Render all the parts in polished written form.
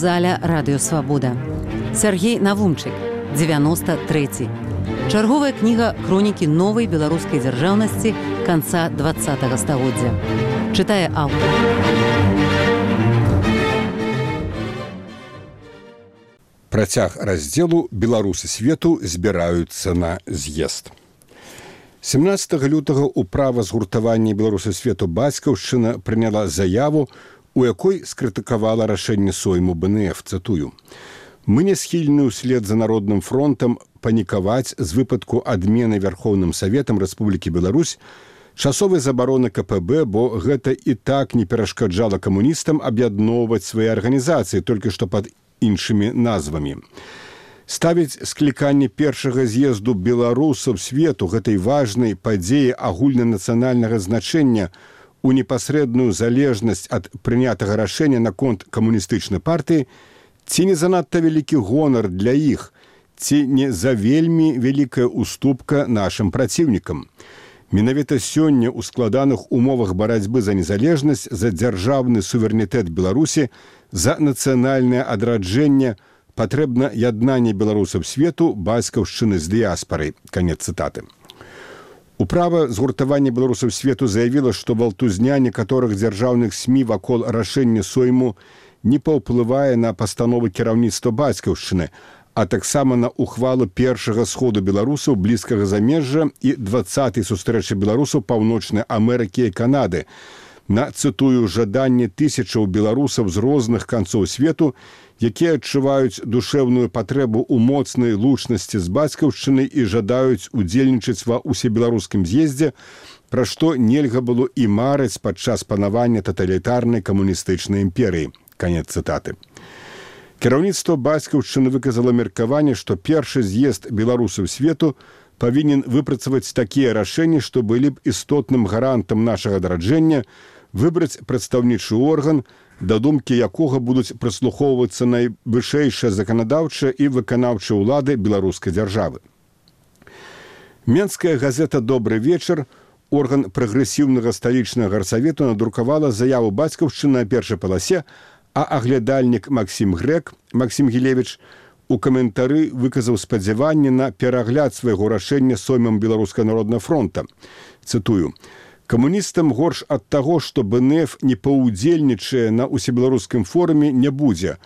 заля радыёвабода. Сергей Навумчык, 93. Чарговая кніга хронікі новай беларускай дзяржаўнасці канца 20-го стагоддзя. Чытае аўтар. Працяг раздзелу «Беларусы свету збіраюцца на з'езд». 17 лютага ўправа згуртавання «Беларусы свету» бацькаўшчына прыняла заяву, у якой скрытыкавала рашэнне Сойму БНФ, цытую. «Мы не схільны ўслед за Народным фронтам панікаваць з выпадку адмены Вярхоўным Саветам Рэспублікі Беларусь часовай забароны КПБ, бо гэта і так не перашкаджала камуністам аб'ядноўваць свае арганізацыі, толькі што пад іншымі назвамі. Ставіць скліканне першага з'езду беларусаў свету гэтай важнай падзеі агульнанацыянальнага значэння у непасрэдную залежнасць ад прынятага рашэння наконт камуністычнай партыі, ці не занадта вялікі гонар для іх, ці не за вельмі вялікая уступка нашым праціўнікам. Менавіта сёння ў складаных умовах барацьбы за незалежнасць, за дзяржаўны суверэнітэт Беларусі, за нацыянальнае адраджэнне патрэбна яднанне беларусаў свету, бацькаўшчыны з дыяспарай. Канец цытаты. Управа згуртавання беларусаў свету заявіла, што валтузня некаторых дзяржаўных СМІ вакол рашэння Сойму не паўплывае на пастановы кіраўніцтва бацькаўшчыны, а таксама на ухвалу першага сходу беларусаў блізкага замежжа і 20-й сустрэчы беларусаў Паўночнай Амерыкі і Канады, на, цытую, жаданне тысячаў беларусаў з розных канцоў свету, якія адчуваюць душэўную патрэбу ў моцнай лучнасці з бацькаўшчынай і жадаюць удзельнічаць ва ўсебеларускім з'ездзе, пра што нельга было і марыць падчас панавання таталітарнай камуністычнай імперыі. Канец цытаты. Кіраўніцтва бацькаўшчыны выказала меркаванне, што першы з'езд беларусаў свету павінен выпрацаваць такія рашэнні, што былі б істотным гарантам нашага адраджэння, выбраць прадстаўнічы орган, да думкі якога будуць прыслухоўвацца найвышэйшая заканадаўчая і выканаўчая ўлады беларускай дзяржавы. Менская газета «Добры вечар», орган прагрэсіўнага сталічнага гарсавету, надрукавала заяву бацькаўшчыны на першай паласе, а аглядальнік Максім Гілевіч у каментары выказаў спадзяванне на перагляд свайго рашэння Соймам Беларускага народнага фронта. Цытую. «Камуністам горш ад таго, што БНФ не паўдзельнічае на ўсебеларускім форуме, не будзе.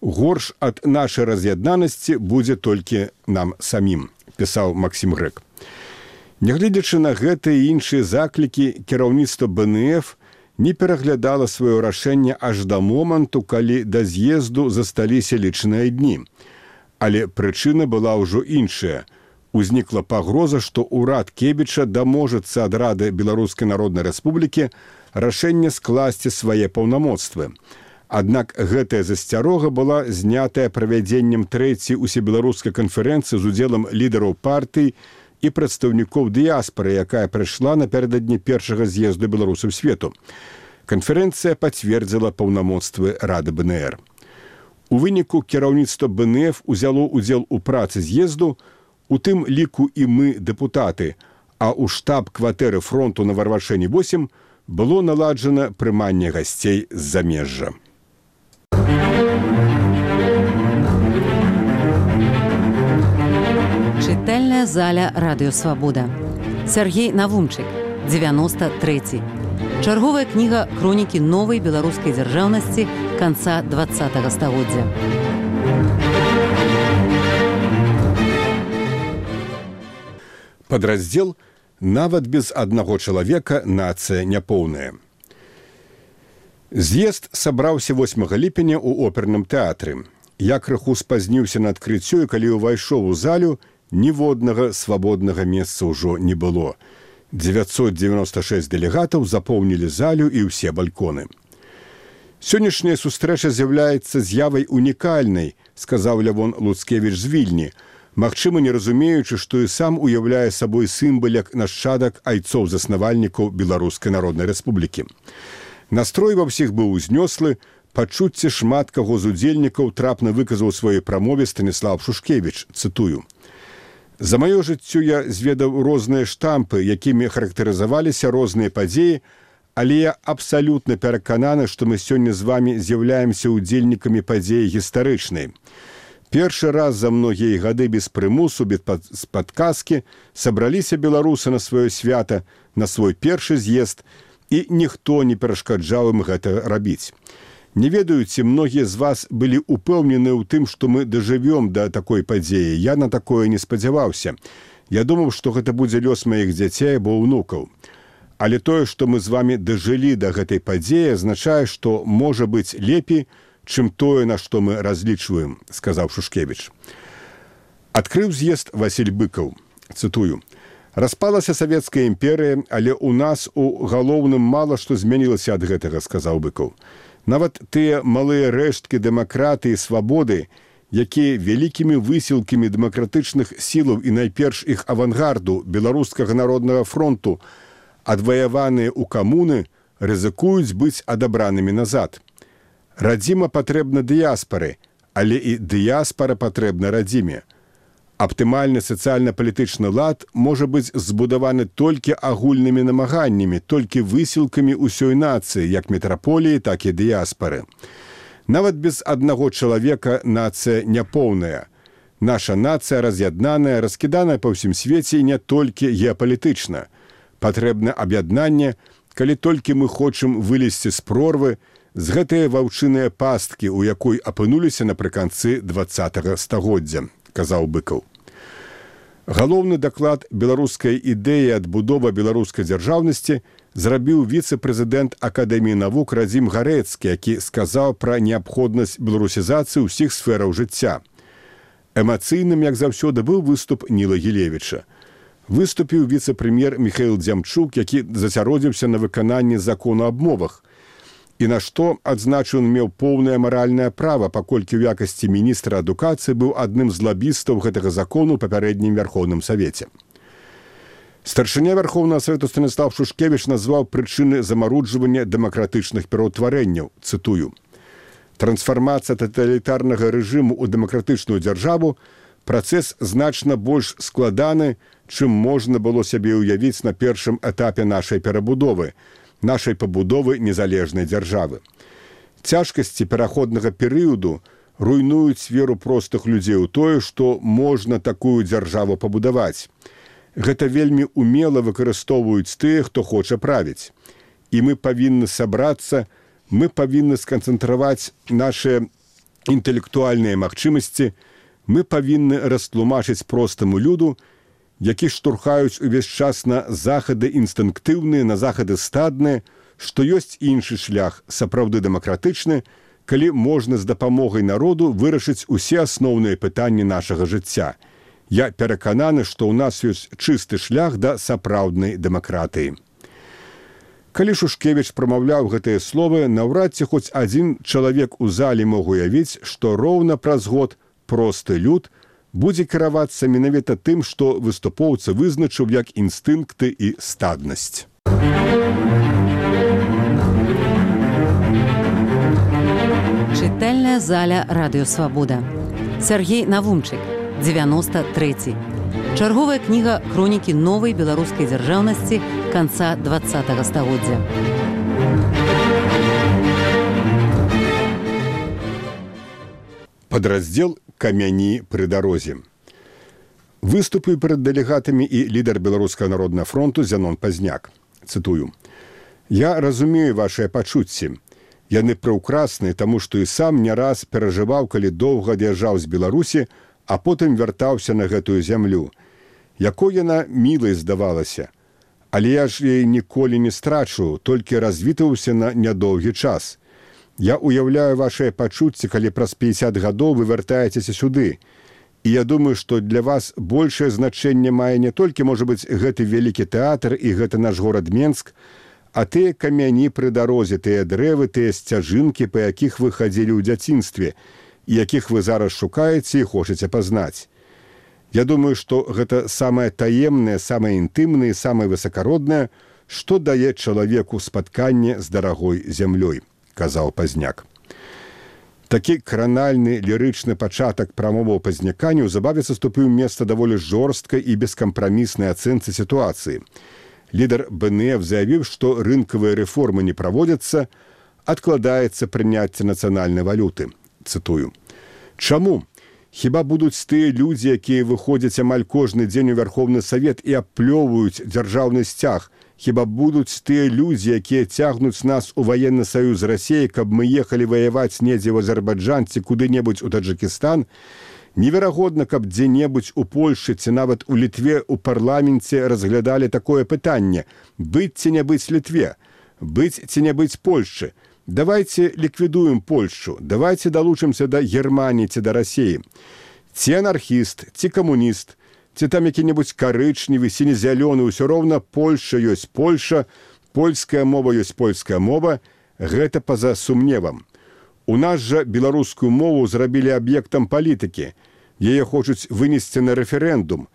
Горш ад нашай раз'яднанасці будзе толькі нам самім», пісаў Максім Грэк. Нягледзячы на гэта і іншыя заклікі, кіраўніцтва БНФ не пераглядала сваё рашэнне аж да моманту, калі да з'езду засталіся лічныя дні. Але прычына была ўжо іншая. Узнікла пагроза, што ўрад Кебіча даможацца ад Рады Беларускай Народнай Рэспублікі рашэнне скласці свае паўнамоцтвы. Аднак гэтая засцярога была знятая правядзеннем трэцяй усебеларускай канферэнцыі з удзелам лідараў партый і прадстаўнікоў дыяспары, якая прайшла напярэдадні першага з'езду беларусаў свету. Канферэнцыя пацвердзіла паўнамоцтвы Рады БНР. У выніку кіраўніцтва БНФ узяло ўдзел у працы з'езду, у тым ліку і мы, дэпутаты, а ў штаб-кватэры фронту на Варваршэне 8 было наладжана прыманне гасцей з замежжа. Чытальная заля радыёвабода. Сергей Навумчык, 93. Чарговая кніга хронікі новай беларускай дзяржаўнасці канца 20-го стагоддзя. Падраздзел «Нават без аднаго чалавека нацыя няпоўная». З'езд сабраўся 8 ліпеня ў оперным тэатры. Я крыху спазніўся на адкрыццё, і калі ўвайшоў у залю, ніводнага свабоднага месца ўжо не было. 996 дэлегатаў запоўнілі залю і ўсе бальконы. «Сённяшняя сустрэча з'яўляецца з'явай унікальнай», сказаў Лявон Луцкевіч з Вільні, магчыма, не разумеючы, што і сам уяўляе сабой сімбаляк нашчадак айцоў-заснавальнікаў Беларускай Народнай Рэспублікі. Настрой ва ўсіх быў узнёслы, пачуцці шмат каго з удзельнікаў трапна выказаў у сваёй прамове Станіслав Шушкевіч, цытую. «За маё жыццё я зведаў розныя штампы, якімі характарызаваліся розныя падзеі, Але я абсалютна перакананы, што мы сёння з вамі з'яўляемся ўдзельнікамі падзеі гістарычнай. Першы раз за многія гады без прымусу, без падказкі сабраліся беларусы на сваё свята, на свой першы з'езд, і ніхто не перашкаджаў ім гэта рабіць. Не ведаю, ці многія з вас былі упэўнены ў тым, што мы дажывём да такой падзеі. Я на такое не спадзяваўся. Я думаў, што гэта будзе лёс маіх дзяцей або ўнукаў. Але тое, што мы з вамі дажылі да гэтай падзеі, азначае, што можа быць лепей, чым тое, на што мы разлічваем, сказаў Шушкевіч. Адкрыў з'езд Васіль Быкаў. Цытую. «Распалася Савецкая імперыя, але ў нас у галоўным мала што змянілася ад гэтага», сказаў Быкаў. «Нават тыя малыя рэшткі дэмакратыі і свабоды, якія вялікімі высілкамі дэмакратычных сілаў і найперш іх авангарду Беларускага народнага фронту адваяваныя ў камуны, рызыкуюць быць адабранымі назад. Радзіма патрэбна дыяспары, але і дыяспара патрэбна радзіме. Аптымальны сацыяльна-палітычны лад можа быць збудаваны толькі агульнымі намаганнямі, толькі высілкамі ўсёй нацыі, як метраполіі, так і дыяспары. Нават без аднаго чалавека нацыя няпоўная. Наша нацыя раз'яднаная, раскіданая па ўсім свеце і не толькі геапалітычна. Патрэбна аб'яднанне, калі толькі мы хочам вылезці з прорвы, з гэтыя ваўчыныя пасткі, у якой апынуліся напрыканцы 20-го стагоддзя, казаў Быкаў. Галоўны даклад беларускай ідэі адбудова беларускай дзяржаўнасці зрабіў віцэ-прэзідэнт Акадэміі навук Радзім Гарэцкі, які сказаў пра неабходнасць беларусізацыі ўсіх сфераў жыцця. Эмацыйным, як заўсёды, быў выступ Ніла Гілевіча. Выступіў віцэ-прэм'ер Міхаіл Дзямчук, які зацяродзіўся на выкананні закону аб мовах. І на што, адзначыў, меў поўнае маральнае права, паколькі ў якасці міністра адукацыі быў адным з лабістаў гэтага закону ў папярэднім Вярхоўным Савеце. Старшыня Вярхоўнага Савету Станіслав Шушкевіч назваў прычыны замаруджвання дэмакратычных пераўтварэнняў. Цытую. «Трансфармацыя таталітарнага рэжыму ў дэмакратычную дзяржаву – працэс значна больш складаны, чым можна было сябе ўявіць на першым этапе нашай перабудовы, нашай пабудовы незалежнай дзяржавы. Цяжкасці пераходнага перыяду руйнуюць веру простых людзей у тое, што можна такую дзяржаву пабудаваць. Гэта вельмі умела выкарыстоўваюць тыя, хто хоча правіць. І мы павінны сабрацца, мы павінны сканцэнтраваць нашыя інтэлектуальныя магчымасці, мы павінны растлумачыць простаму люду, які штурхаюць увесь час на захады інстынктыўныя, на захады стадныя, што ёсць іншы шлях, сапраўды дэмакратычны, калі можна з дапамогай народу вырашыць усе асноўныя пытанні нашага жыцця. Я перакананы, што ў нас ёсць чысты шлях да сапраўднай дэмакратыі». Калі Шушкевіч прамаўляў гэтыя словы, наўрад ці хоць адзін чалавек у зале мог уявіць, што роўна праз год просты люд будзе кіравацца менавіта тым, што выступоўца вызначыў як інстынкты і стаднасць. Чытальная заля Радыё Свабода. Сергей Навумчык, 93. Чарговая кніга хронікі новай беларускай дзяржаўнасці канца 20-го стагоддзя. Падраздзел «Камяні пры дарозе». Выступіў перад дэлегатамі і лідар Беларускага народнага фронту Зянон Пазняк. Цытую. «Я разумею вашыя пачуцці. Яны прыўкрасныя, таму што і сам не раз перажываў, калі доўга ад'язджаў з Беларусі, а потым вяртаўся на гэтую зямлю. Якой яна мілай здавалася. Але я ж яе ніколі не страчу, толькі развітаўся на нядоўгі час. Я уяўляю вашыя пачуцці, калі праз 50 гадоў вы вяртаецеся сюды. І я думаю, што для вас большае значэнне мае не толькі, можа быць, гэты вялікі тэатр і гэта наш горад Менск, а тыя камяні пры дарозе, тыя дрэвы, тыя сцяжынкі, па якіх вы хадзілі ў дзяцінстве, і якіх вы зараз шукаеце і хочаце пазнаць. Я думаю, што гэта самае таемнае, самае інтымнае, самае высакароднае, што дае чалавеку спатканне з дарагой зямлёй», казаў Пазняк. Такі кранальны лірычны пачатак прамоваў Пазняка неўзабаве саступіў месца даволі жорсткай і бескампраміснай ацэнцы сітуацыі. Лідар БНФ заявіў, што рынкавыя рэформы не праводзяцца, адкладаецца прыняцце нацыянальнай валюты. Цытую. Чаму? Хіба будуць тыя людзі, якія выходзяць амаль кожны дзень у Вярхоўны Савет і аплёваюць дзяржаўны сцяг? Хіба будуць тыя людзі, якія цягнуць нас у ваенны саюз з Расіяй, каб мы ехалі ваяваць недзе ў Азербайджан ці куды-небудзь у Таджыкістан? Неверагодна, каб дзе-небудзь у Польшы ці нават у Літве ў парламенце разглядалі такое пытанне: быць ці не быць Літве, быць ці не быць Польшчы. Давайте ліквідуем Польшчу, давайте далучымся да Германіі ці да Расіі. Ці анархіст, ці камуніст, ці там які-небудзь карычневы, сіне-зялёны, ўсё роўна Польша ёсць Польша, польская мова ёсць польская мова, гэта па-за сумневам. У нас жа беларускую мову зрабілі аб'ектам палітыкі, яе хочуць вынесці на рэферэндум.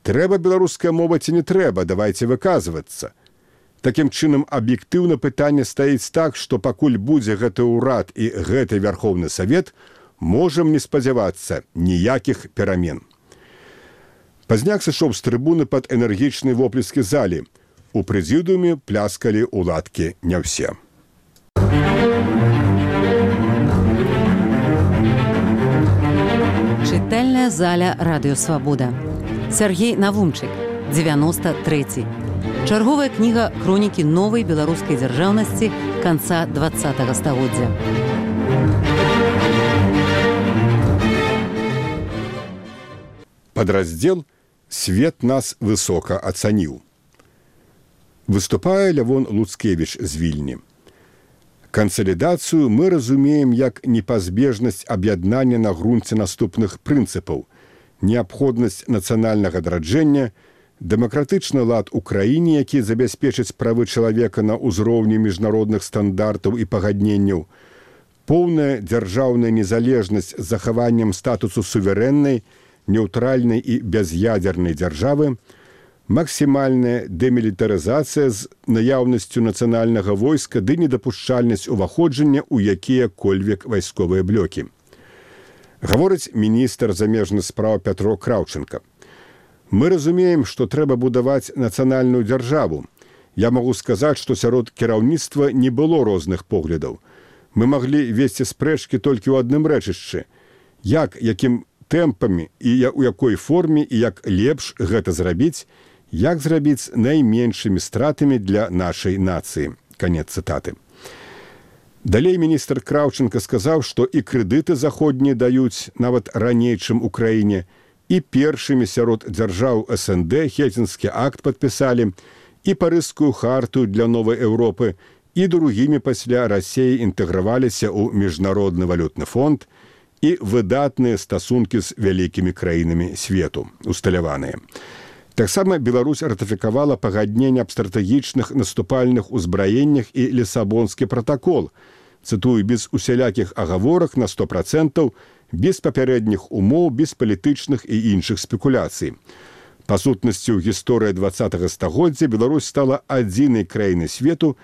Трэба беларуская мова ці не трэба, давайте выказвацца. Такім чынам, аб'ектыўна пытанне стаіць так, што пакуль будзе гэты ўрад і гэты Вярхоўны Савет, можам не спадзявацца ніякіх перамен. Пазняк сышоў з трыбуны пад энергічнай воплескі залі. У прэзідыуме пляскалі ўладкі не ўсе. Чытальная заля Радыё Свабода. Сергей Навумчык, 93. Чарговая кніга хронікі новай беларускай дзяржаўнасці канца 20-го стагоддзя. Падраздзел «Свет нас высока ацаніў». Выступае Лявон Луцкевіч з Вільні. Кансалідацыю мы разумеем як непазбежнасць аб'яднання на грунце наступных прынцыпаў: неабходнасць нацыянальнага адраджэння, дэмакратычны лад у краіне, які забяспечыць правы чалавека на ўзроўні міжнародных стандартаў і пагадненняў, поўная дзяржаўная незалежнасць з захаваннем статусу суверэннай, неўтральнай і бяз'ядзернай дзяржавы, максімальная дэмілітарызацыя з наяўнасцю нацыянальнага войска ды недапушчальнасць уваходжання ў якія-кольвек вайсковыя блокі. Гаворыць міністр замежных спраў Пятро Краўченка. Мы разумеем, што трэба будаваць нацыянальную дзяржаву. Я магу сказаць, што сярод кіраўніцтва не было розных поглядаў. Мы маглі весці спрэчкі толькі ў адным рэчышчы. Якім тэмпамі і ў якой форме і як лепш гэта зрабіць, як зрабіць найменшымі стратамі для нашай нацыі. Канец цытаты. Далей міністр Краўченка сказаў, што і крэдыты заходнія даюць нават раней, чым у краіне, і першымі сярод дзяржаў СНД Хельсінскі акт падпісалі, і Парыжскую харту для новай Еўропы, і другімі пасля Расіі інтэграваліся ў міжнародны валютны фонд, і выдатныя стасункі з вялікімі краінамі свету, усталяваныя. Таксама Беларусь ратыфікавала пагадненне аб стратэгічных наступальных узбраеннях і Лісабонскі пратакол, цытую, без усялякіх агаворак на 100%, без папярэдніх умоў, без палітычных і іншых спекуляцый. Па сутнасці, ў гісторыі 20-го стагоддзя Беларусь стала адзінай краінай свету,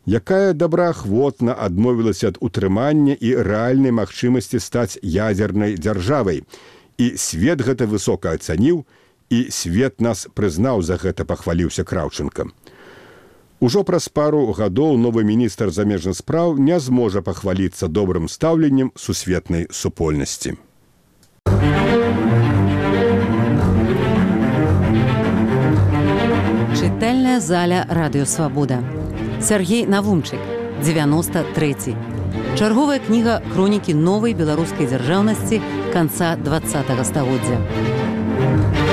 якая добраахвотна адмовілася ад утрымання і рэальнай магчымасці стаць ядзернай дзяржавай. І свет гэта высока ацаніў, і свет нас прызнаў, за гэта пахваліўся Краўченка. Ужо праз пару гадоў новы міністр замежных спраў не зможа пахваліцца добрым стаўленнем сусветнай супольнасці. Чытальная заля Радыё Свабода. Сергей Навумчык, 93. Чарговая кніга хронікі новай беларускай дзяржаўнасці канца 20-го стагоддзя.